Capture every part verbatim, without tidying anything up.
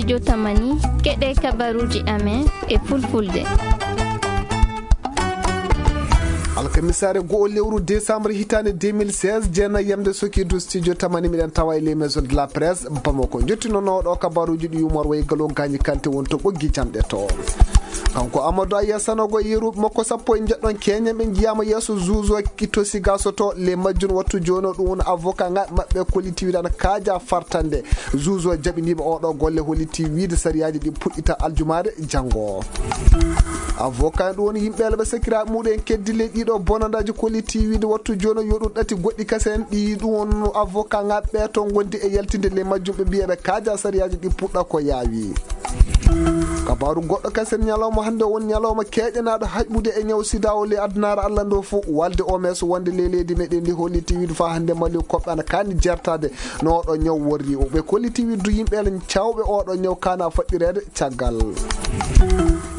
Jotamani, keɗe kabaruuji amen e fulfulde. Alkamisaare go'o lewru décembre hitaande deux mille seize, jeenayi yamde Sokidu, studio tamani, miɗen tawa e les maisons de la presse Bamako. Njottino nooɗo kabaruuji ɗi yumor wayi galo gañi kante won to ɓoggi jamɗe to. Kanko Amadou Aya Sanogo e yeru makko sappo e njeɗɗon keñen ɓe njiyaama yeeso juge o to Sigaso to, le majjun wattu jooni o ɗum woni avocat ŋa maɓɓe kollitiiɗo ana kaaja fartande. Juge o jaɓiniiɓe oɗo golle hollitii wiide sariyaaji ɗi puɗɗita aljumaare janngo. Avocat en ɗum woni yimɓe ala ɓe sakiraaɓe muɗum en keddi ley ɗiɗo bonandaaji kollitiiɗo wattu jooni o yo ɗum ɗati goɗɗi kasen ɗi ɗum won avocat ŋa ɓe to ngondi e yaltinde le majjum ɓe mbiya ɓe kaaja sariyaaji ɗi puɗɗa ko yaawi. Kabaaru goɗɗo kasen ñalawma hannde won ñalawma keeƴanaaɗo haɓɓude e ñaw sida o le addunaare Allah ndo fof walde O M S wonde le leydi meɗen ndi holliti wiide fa hannde Mali koɓɓe ana kaani jertade no oɗo ñaw worri o. Ɓe kolliti wiide du yimɓe ele cawɓe oɗo ñaw kana faɗɗireede caggal.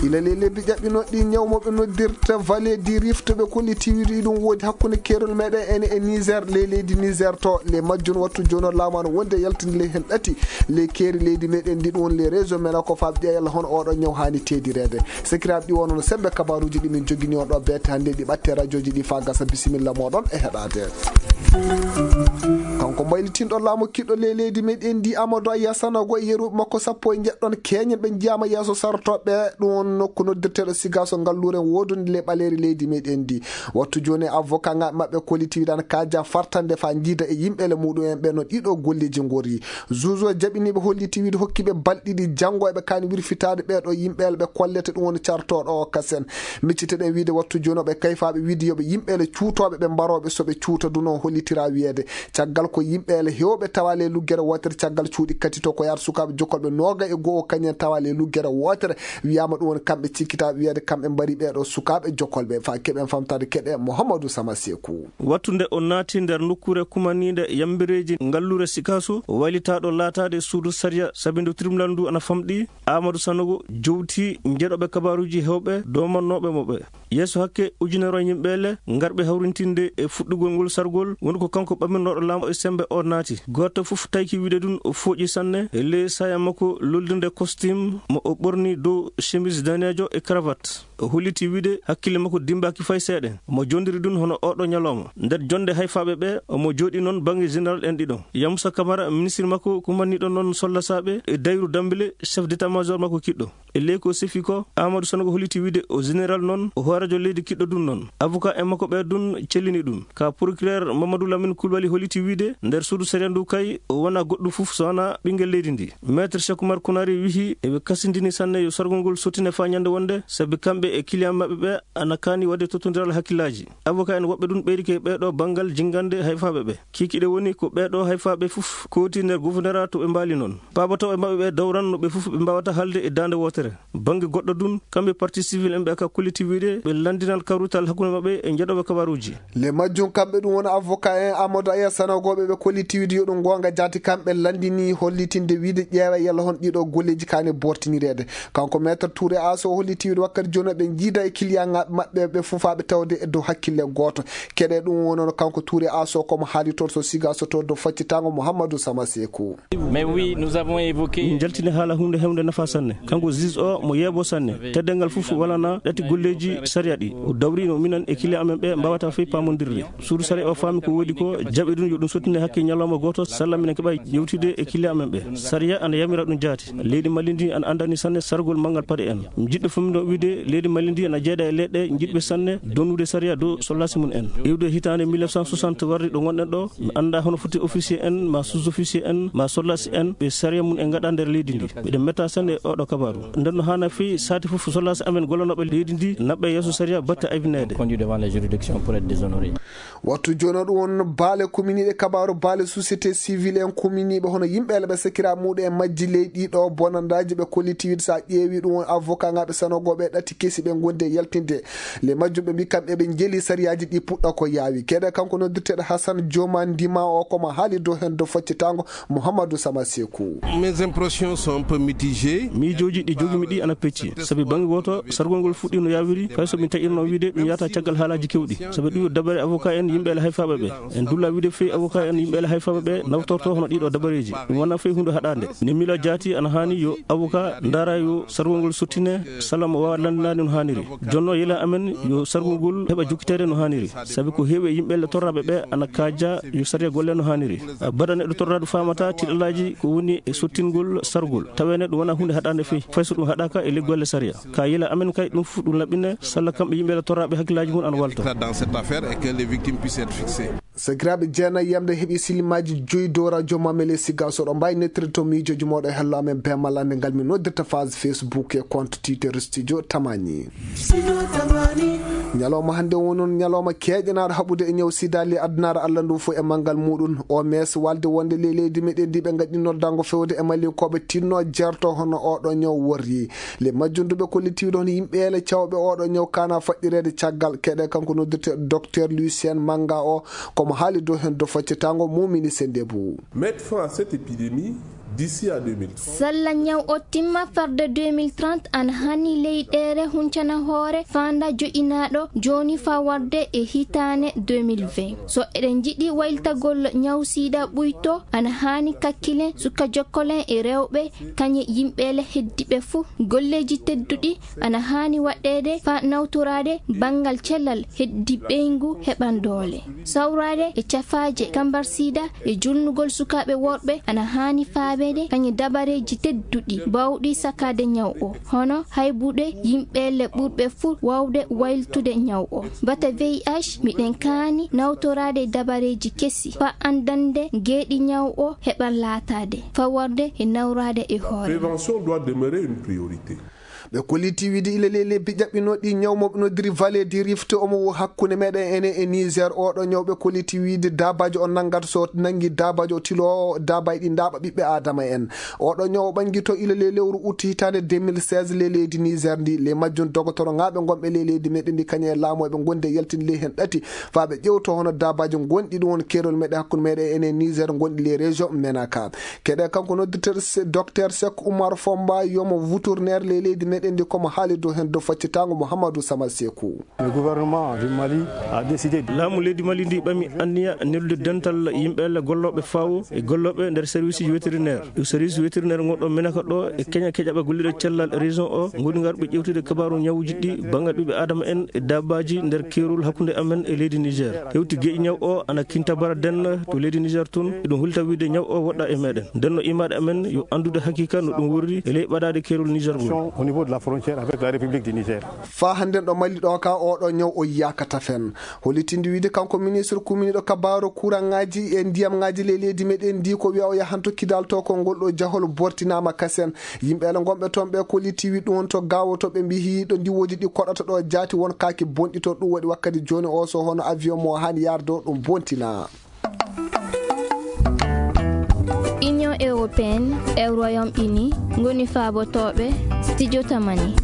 Ila le lebbi ƴaɓɓinoɗi ñaw mo ɓe noddirta Vallée du Rift ɓe kolliti wiide ɗum woodi hakkunde keerol meɗen ene e Niger le leydi Niger to le majjun wattu jooni o laamu ana wonde yaltinde le hen ɗati le keeri leydi meɗen ndi ɗum woni le réseau mena ko faɓ ƴeeyal hono oɗo ñaw hani teedireede. Sakiraaɓe ɗi wonno sembe kabaruuji ɗi min jogini on ɗo beete hannde ɗi ɓatte radiooji ɗi fa gasa bisimilla moɗon e heɗaade. Kanko mbaylitinɗo laamu kiɗɗo le leydi meɗen ndi Amadou Aya Sanogo e yeru makko sappo e njeɗɗon keñen ɓe njiyaama yeeso sartoɓe ɗum won nokku noddirteeɗo Sigaso ngalluure wodunde le ɓaleeri leydi meɗen ndi. Wattu jooni avocat ŋa maɓɓe kolliti wiɗan kaaja fartande fa jiida e yimɓe le muɗum en ɓe no ɗiɗo golleji ngori. Juge o jaɓiniiɓe holliti wiide hokkiiɓe balɗe ɗiɗi janngo eɓe kaani wirfitaade ɓeeɗo yimɓe ɓe kollete ɗum woni cartooɗo o kasen. Micciteɗen wiide wattu jooni o ɓe kayfaaɓe wiide yo ɓe yimɓe le cuutooɓe ɓe mbarooɓe so ɓe cuuta duno hollitira wiyeede. Caggal ko yimɓe le heewɓe tawa le luggere wootere caggal cuuɗi katito ko yaata sukaaɓe jokkolɓe nooga e go'o kañen tawa le luggere wootere wiyaama ɗum woni kamɓe cikkitaaɓe wiyeede kamɓe mbari ɓeeɗo sukaaɓe jokkolɓe fa keɓen famtaade keɗe Mouhamadou Sama Sekou. Wattu nde o naati nder nokkuure kumaniinde yambireeji ngalluure Sikaso, waylitaaɗo laataade suudu sariya sabindo tribunal ndu ana famɗi, Amadou Sanogo jowti njeɗoɓe kabaruuji heewɓe doomannooɓe mo ɓe. Yeeso hakke ujunere yimɓe le ngarɓe hawrintinde e fuɗɗugol ngol sargol, woni ko kanko ɓamminooɗo laamu e sembe o naati. Gooto fof tayki wiide ɗum o fooƴi sanne e ley saya makko lollirde costume mo o ɓorni dow chemise daneejo e cravate. O holliti wiide hakkille makko dimbaaki fay seeɗa. Omo jondiri ɗum hono oɗo ñalawma. Nder jonde hayfaaɓe ɓe, omo jooɗi noon bannge général en ɗiɗo. Yamusa Kamara, ministre makko kumanniiɗo noon sollasaaɓe, e Dayru Dambile, chef d'état-major makko kiɗɗo. E ley ko sefi ko, Amadou Sanogo holliti wiide o général noon, o hooreejo leydi kiɗɗo ɗum noon. Avocat en makko ɓe ɗum cellini ɗum. Ka procureur Mamadou Lamine Koulibaly holliti wiide nder suudu sariya ndu kay, o wona goɗɗum fof so wona ɓinngel leydi ndi. Maître Cheikh Oumar Kounari wihi eɓe kasindini sanne yo sargol ngol sottine faa ñande wonde, sabi kamɓe e client maɓɓe ɓe ana kaani waɗde tottondiral hakkillaaji. Avocat en woɓɓe ɗum ɓeydike ɓeeɗo banngal jinngande hayfaaɓe ɓe. Kiikiiɗe woni ko ɓeeɗo hayfaaɓe fof kooti nder gouverneur to ɓe mbaali noon. Paabotooɓe maɓɓe ɓe dawran no ɓe fof ɓe mbaawata haalde e daande wootere. Bannge goɗɗo ɗum, kamɓe partie civile en ɓe ka kolliti wiide ɓe lanndinan kawrital hakkunde maɓɓe e njeɗooɓe kabaruuji. Le majjum kamɓe ɗum woni avocat en Amadou Aya Sanogo ɓe ɓe kolliti wiide yo ɗum goonga jaati kamɓe lanndini hollitinde wiide ƴeewa yalla hon ɗiɗo golleji kaani bortinireede. Kanko maître Touré Asso holliti wiide wakkati jooni ɓe jiida e client ŋaaɓe maɓɓe ɓe fufaaɓe tawde e dow hakkille gooto. Keɗe ɗum wonono kanko Touré Asso komo haali toon so siga so to dow faccitango Mouhamadou Sama Sekou. Mais oui, nous avons évoqué. Min njaltini haala huunde hewnde nafa sanne. Kanko juge o mo yeebo sanne. Teddeengal fof walana ɗati golleeji sariya ɗi. O dawri no minen e client amen ɓe mbaawata fey paamondirde. Suudu sariya o faami ko woodi ko, jaɓi ɗum yo ɗum sottine hakke ñalawma gooto, salla minen keɓa yewtude e client amen ɓe. Sariya ana yamira ɗum jaati. Leydi Mali ndi ana anndani sanne sargol manngal paɗe en. Mi jiɗɗo fof miɗo wiide leydi Mali ndi ana jeeɗa e leyɗe jiɗɓe sanne donnude sariya dow sollasi mum en. Iwde hitaande mille neuf cent soixante warri ɗo ngonɗen ɗo, mi annda hono foti officier en, ma sous-officier en, ma sollasi en, ɓe sariya mum en ngaɗa nder leydi ndi. Miɗen metta sanne e oɗo kabaru. Nden no haana fii saati fof sollasi amen gollanooɓe leydi ndi, naɓɓe yeeso sariya batte aybinede. Conduit devant les juridictions pour être déshonoré. Wattu jooni o ɗum won baale kuminiiɗe kabaaru, baale société civile en kuminiiɓe hono yimɓe ele ɓe sakiraaɓe muɗum en majji ley ɗiɗo bonandaaji ɓe kolliti wiide so a ƴeewi ɗum won avocat ŋaaɓe sanogooɓe e ɗati kesi ɓe ngondi e yaltinde. Le majjum ɓe mbi kamɓe ɓe njeli sariyaaji ɗi puɗɗa ko yaawi. Keɗe kanko noddirteeɗo Hassan Joma Ndima o komo haali dow heen dow faccitango Mouhamadou Sama Sekou. Mes impressions sont un peu mitigées. Miijooji ɗi jogi Mi ɗi ana pecci. Sabi bannge gooto, sargol ngol fuɗɗi no yaawiri, fay so min taƴirno wiide ɗum yahata caggal haalaaji keewɗi. Sabi ɗum yo dabare avocat en yimɓe ele hayfaaɓe ɓe. En dulla wiide fey avocat en yimɓe ele hayfaaɓe ɓe nawtorto hono ɗiɗo dabareeji. Ɗum wona fey huunde haɗaande. Ne mila jaati ana haani yo avocat ndaara yo sargol ngol sottine, sala mo waawa lanndinaade no haaniri. Jonno yela amen yo sargol ngol heɓa jokkiteede no haaniri. Sabi ko heewi e yimɓe ele torraaɓe ɓe ana kaaja yo sariya golle no haaniri. Baɗa neɗɗo torraadu faamata tiɗalaaji ko woni e sottingol sargol. Tawee neɗɗo wona huunde haɗaande fey. Fay so ɗum haɗaaka e ley golle sariya. Ka yila amen kay ɗum fof ɗum laɓɓine, salla kamɓe yimɓe torraaɓe hakkillaaji mum ana walta. Dans cette affaire et que les victimes puissent être fixées. Sakiraaɓe jeenayi yamde heɓi silimaji joyi dow radio Mamele Siga. So ɗo mbawi nettirde to miijoji moɗo e hello amen be mallande ngal min noddirta phase Facebook e compte Twitter Studio Tamani. Studio Tamani. Ñalawma hannde woni noon ñalawma keeƴanaaɗo haɓude e ñaw sida ley addunaare Allah ndu fof e manngal muɗum. O mes walde wonde ley leydi meɗen ndi ɓe ngaɗi noddango fewde e Mali ko ɓe tinno jerto hono oɗo ñaw worri. Le majjum duɓe kollitiiɗo hono yimɓe ele cawɓe oɗo ñaw kana faɗɗireede caggal keɗe kanko noddirte docteur Lucien Manga o, komo haali dow heen do faccetango mumini sendebu. Mettre fin à cette épidémie d'ici à deux mille trente. Salla ñaw o timma farde deux mille trente an hani leyɗeere huncana hoore fanda joƴinaaɗo jooni fa warde e hitaane deux mille vingt. So eɗen njiɗi wayltagol ñaw sida ɓuyto, ana haani kakkilen suka jokkolen e rewɓe, kañe yimɓe le heddiɓe fuu. Golleeji tedduɗi ana haani waɗɗeede fa nawtoraade banngal cellal heddi ɓeyngu heɓan doole. Sawraade e cafaaje kambar sida e julnugol sukaaɓe worɓe ana haani faabeede kañe dabareeji tedduɗi bawɗi sakaade ñaw o, hono haybude yimɓe le ɓurɓe fuu wawde wayltude ñaw o. Bata V I H, miɗen kaani nawtoraade dabareeji kesi fa andande geeɗi ñaw o heɓan laataade, faworde e nawraade e hoore. Prévention doit demeurer une priorité. Ɓe kolliti wiide ila ley lebbi ƴaɓɓinooɗi ñaw mo ɓe noddiri Vallée du Rift omo wo hakkunde meɗen enen e Niger. Oɗo ñaw ɓe kolliti wiide dabajo o nanngata so nanngi dabajo o tilo dabaji ɗi ndaaɓa ɓiɓɓe Adama en. Oɗo ñaw o ɓanngito ila ley lewru août hitaande deux mille seize ley leydi Niger ndi. Ley majjum dogotoro ŋaaɓe ngonɓe ley leydi meɗen ndi kañum e laamu eɓe ngondi e yaltinde ley heen ɗati fa ɓe ƴewto hono dabaji ngonɗi ɗum won keerol meɗen hakkunde meɗen enen Niger ngonɗi ley région Menaka. Keɗe kanko noddirteeɗo se-, docteur Seck Oumar Fomba yomo wutur ner ley leydi meɗen ndi komo haali dow heen dow faccitango Mouhamadou Sama Sekou. Le gouvernement du Mali a décidé de Laamu leydi Mali ndi ɓami anniya neldude dental yimɓe le gollooɓe fawo e gollooɓe nder service vétérinaire. Ɗo service vétérinaire ngonɗo Menaka ɗo e keña keƴaɓe golliɗo cellal région o ngoni ngarɓe ƴewtude kabaaru ñawuji ɗi banngal ɓiɓɓe Adama en e dabaji nder keerol hakkunde amen e leydi Niger. Hewti geƴi ñaw o ana kinta bara den to leydi Niger tun, eɗum holita wiide ñaw o woɗɗa e meɗen. Nden no imaɗe amen yo anndude haqiqa no ɗum worri e ley ɓadaade keerol Niger ngol. Au niveau de la frontière avec la République du Niger. Fa hannden ɗo Mali ɗo ka oɗo ñaw o yiyaka tafen. Holitinde wiide kanko ministre kuminiɗo kabaaru kuranŋaaji e ndiyamŋaaji ley leydi meɗen ndi ko wiya o yahanto kidal to ko ngol ɗo jahol bortinaama kasen. Yimɓe ele ngonɓe toon ɓe kolliti wi ɗum to gawo to ɓe mbiyi ɗo ndiwoji ɗi koɗata ɗo jaati won kaaki bonɗi toon. Ɗum waɗi wakkati jooni o so hono avion mo haani yarde o ɗum bontina. Union européenne e Royaume-Uni ngoni faabotooɓe Studio Tamani.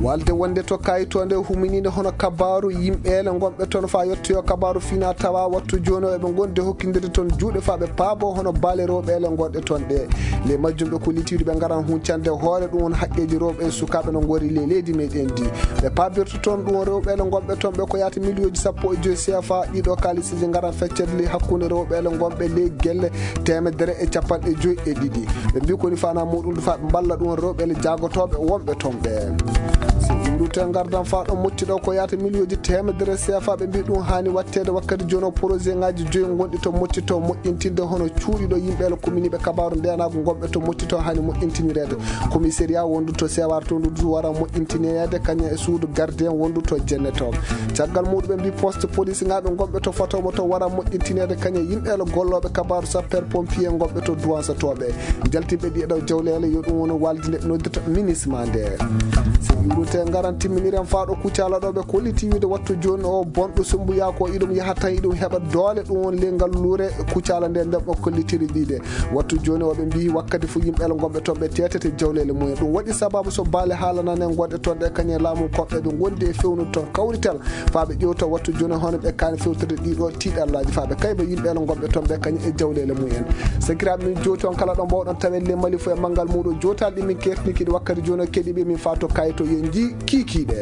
Walde wonde to kayitoonde huminiinde hono kabaaru yimɓe ele ngonɓe toon fa yettoyo kabaaru fina tawa wattu jooni o eɓe ngondi hokkindirde toon juuɗe fa ɓe paabo hono baale rewɓe ele ngonɗe toon ɗe. Ley majjum ɓe kollitiiɗo ɓe ngaran huncande hoore ɗum won haqqeeji rewɓe e sukaaɓe no ngori ley leydi meɗen ndi. Ɓe paabirta toon ɗum rewɓe ele ngonɓe toon ɓe ko yaata miliyoji sappo e joyi C F A. Ɗiɗo kalisiji ngaran feccere ley hakkunde rewɓe ele ngonɓe ley gelle teemedere e capanɗe joyi e ɗiɗi. Ɓe mbi koni fana muɗum fa ɓe mballa ɗum rewɓe ele jagotooɓe wonɓe toon ɓe. So ɗum ɗum te ngardan fa ɗo motti ɗo ko yaata miliyoji teemedere C F A ɓe mbi ɗum haani watteede wakkati jono projet ngaji joyi ngonɗi to motti to moƴƴintinde hono cuuɗi ɗo yimɓe ele commune ɓe kabaaru ndenago ngonɓe to motti to haani moƴƴintinireede. Commissariat wondu to Sewar to ndu wara moƴƴintineede kañum e suudu gardien wondu to jennetooɓe. Caggal muɗum ɓe mbi poste police ngaɓe gonɓe to Fatomo to wara moƴƴintineede kañum e yimɓe ele gollooɓe kabaaru sapeur pompier gonɓe to duwansatooɓe. Jaltinɓe ɗi e ɗo jawleele yo ɗum woni walde nde ɓe noddirta minisma nde. So yurute ngaran Miniren faaɗo Kucala ɗo ɓe kolliti wiide wattu jooni o bonɗo Sembuya ko iɗum yaha tan iɗum heɓa doole, ɗum woni ley ngal luure Kucala nde nden ɓe kollitiri ɗiɗe. Wattu jooni o ɓe mbiyi wakkati fof yimɓe ala gonɓe toon ɓe teetete jawleele mumen. Ɗum waɗi sababu so baale haalananen gonɗe toon ɗe kañum e laamu koɓɓe ɓe ngondi e fewnude toon kawrital faa ɓe ƴewta wattu jooni hono ɓe kaani fewtorde ɗiɗo tiiɗallaaji faa ɓe kayba yimɓe ala gonɓe toon ɓe kañum e jawleele mumen. Sakiraaɓe min jooti on kala ɗo mbawɗon tawen le Mali fof e manngal muuɗum jootaali ɗi min kertini kiɗi wakkati jooni o keɗiiɓe min faa to kayto yen njii kiikiiɗe.